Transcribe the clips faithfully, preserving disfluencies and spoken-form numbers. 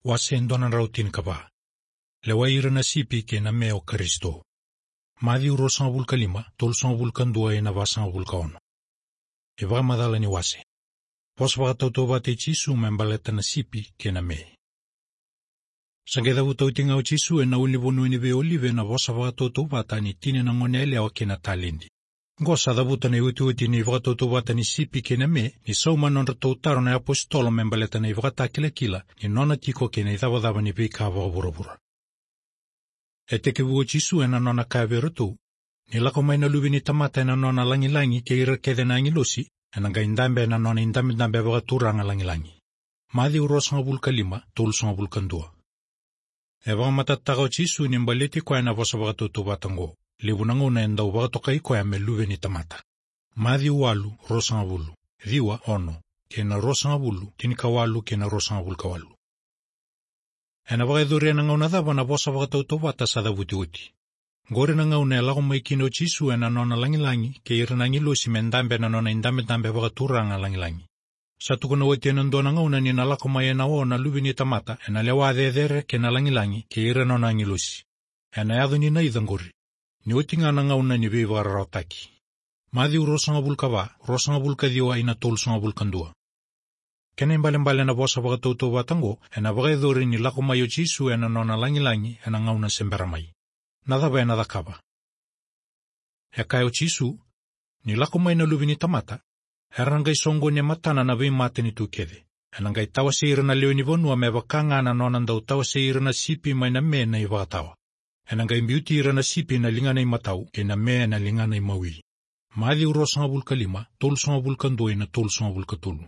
Wase e dua na drau tinikava. Lewai ira na sipi kei na me o Karisito. Maciu ruasagavulu ka lima, tolusagavulu ka dua ina vasagavulu ka ono. E vakamacala ni wase. Vosa vakatautauvata i Jisu me baleta na sipi kei na me. Sa qai cavuta oti ga o Jisu ena ulunivanua ni veiolive na vosa vakatautauvata ni tini na gone yalewa kei na taledi. Qo sa cavuta na iotioti ni vakatautauvata ni sipi kei na me, ni sauma na nodratou taro na iapositolo me baleta na ivakatakilakila ni nona tiko kei na icavacava ni veika vakavuravura. E tekivu o Jisu ena nona kaya vei iratou, ni lako mai na Luve ni tamata ena nona lagilagi kei ira kece na agilosi, ena qai dabe ena nona idabedabe vakaturaga lagilagi. Maciu ruasagavulu ka lima, tolusagavulu ka dua. E vakamatatataka o Jisu ni baleti koya na vosa vakatautauvata qo, levu na gauna e dau vakatokai koya me Luve ni tamata. Maciu walu, ruasagavulu, ciwa, ono, kei na ruasagavulu, tinikawalu, kei na ruasagavulu ka walu. Ena vakayacori ena gauna cava na vosa vakatautauvata sa cavuti oti? Qori na gauna e lako mai kina o Jisu ena nona lagilagi kei ira na agilosi me dabe ena nona idabedabe vakaturaga lagilagi. Sa tukuna oti ena dua na gauna ni na lako mai ena o na Luve ni tamata ena lewa cecere kei na lagilagi kei ira nona agilosi. Ena yaco ni naica qori? Ni oti ga na gauna ni veivakararawataki. Maciu ruasagavulu ka va, ruasagavulu ka ciwa ina tolusagavulu ka dua. Kena ibalebale na vosa vakatautauvata qo, ena vakayacori ni lako mai o Jisu ena nona lagilagi ena gauna se bera mai. Na cava ena cakava? E kaya o Jisu, ni lako mai na Luve ni tamata, era na qai soqoni e matana na veimatanitu kece. Ena qai tawasei ira na lewe ni vanua me vaka ga na nona dau tawasei ira na sipi mai na me na ivakatawa. Ena qai biuti ira na sipi na ligana imatau kei na me na ligana imawi. Maciu ruasagavulu ka lima, tolusagavulu ka dua ina tolusagavulu ka tolu.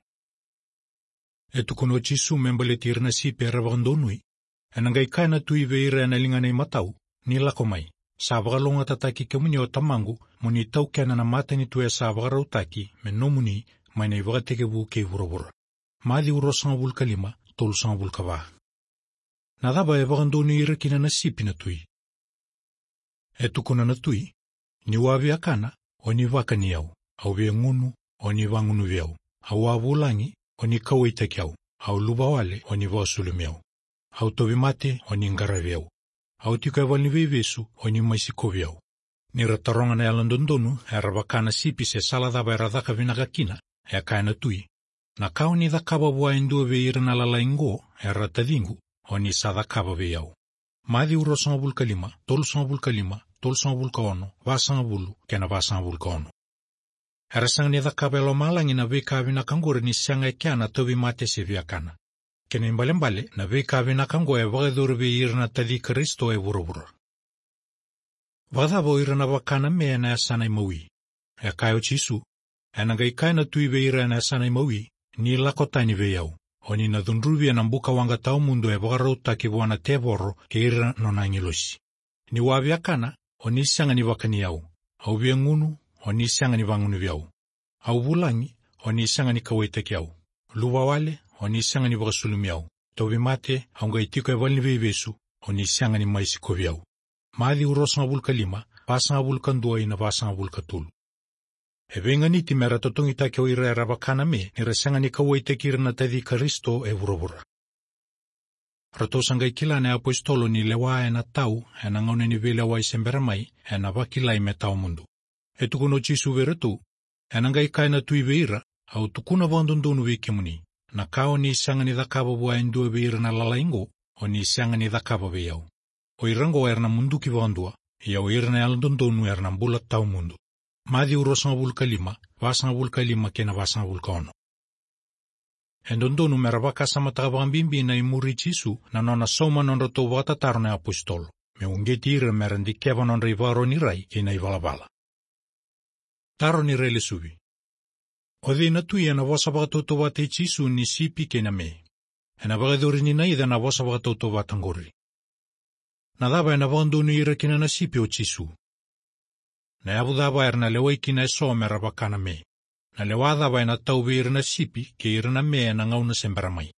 E tukuna o Jisu me baleti ira na sipi era vakadonui. Ena qai kaya na tui vei ira ena ligana imatau, ni lako mai. Sa vakalougatataki kemuni o Tamaqu, mo ni taukena na matanitu e sa vakarautaki me nomuni mai na ivakatekivu kei vuravura. Maciu ruasagavulu ka lima, tolusagavulu ka va. Na cava e vakadonui ira kina na sipi na tui? E tukuna na tui, niu a viakana, o ni vakani au, au via gunu, o ni vagunuvi au, au a vulagi, o ni kauwaitaki au, au luvawale, o ni vakasulumi au, au tauvimate, o ni qaravi au, au tiko e valeniveivesu, o ni mai sikovi au. Ni ra taroga na yalododonu era vaka na sipi se sala cava era caka vinaka kina, e kaya na tui, na ka o ni cakava vua e dua vei ira na lalai qo, era taciqu, o ni sa cakava vei au. Maciu ruasagavulu ka lima, tolusagavulu ka lima, tolusagavulu ka ono, vasagavulu, kei na vasagavulu ka ono. Era sega ni cakava e lomalagi na veika vinaka qori ni sega e kea na tauvimate se viakana. Kena ibalebale, na veika vinaka qo e vakayacori vei ira na taci Karisito e vuravura. Vakacava o ira na vaka na me ena yasana imawi? E kaya o Jisu, ena qai kaya na tui vei ira ena yasana imawi, ni lako tani vei au, o ni na cudruvi ena buka waqa tawamudu e vakarautaki vua na tevoro kei ira nona agilosi. Niu a viakana, o ni sega ni vakani au, au via gunu, o ni sega ni vagunuvi au, au vulagi, o ni sega ni kauwaitaki au, luvawale, o ni sega ni vakasulumi au, tauvimate, au qai tiko e valeniveivesu, o ni sega ni mai sikovi au. Maciu ruasagavulu ka lima, vasagavulu ka dua ina vasagavulu ka tolu. E veiganiti mera totogitaki o ira era vaka na me, ni ra sega ni kauwaitaki ira na taci Karisito e vuravura. Ratou sa qai kila na iapositolo ni lewa ena tau ena gauna ni veilewai se bera mai, ena vakilai me tawamudu. E tukuna o Jisu vei iratou, ena qai kaya na tui vei ira, au tukuna vakadodonu vei kemuni, na ka o ni sega ni cakava vua e dua vei ira na lalai qo, o ni sega ni cakava vei au. O ira qo era na muduki vakadua, ia o ira na yalododonu era na bula tawamudu. Maciu ruasagavulu ka lima, vasagavulu ka lima kei na vasagavulu ka ono. E dodonu mera vakasamataka vakabibi na imuri i Jisu na nona sauma nodratou vakatataro na iapositolo, me uqeti ira mera dikeva nodra ivakaro ni rai kei na ivalavala. Taro ni railesuvi. O cei na tui ena vosa vakatautauvata i Jisu ni sipi kei na me? Ena vakayacori ni naica na vosa vakatautauvata qori? Na cava ena vakadonui ira kina na sipi o Jisu? Na yavu cava era na lewai kina eso mera vaka na me? Na lewa cava ena tau vei ira na sipi kei ira na me ena gauna se bera mai?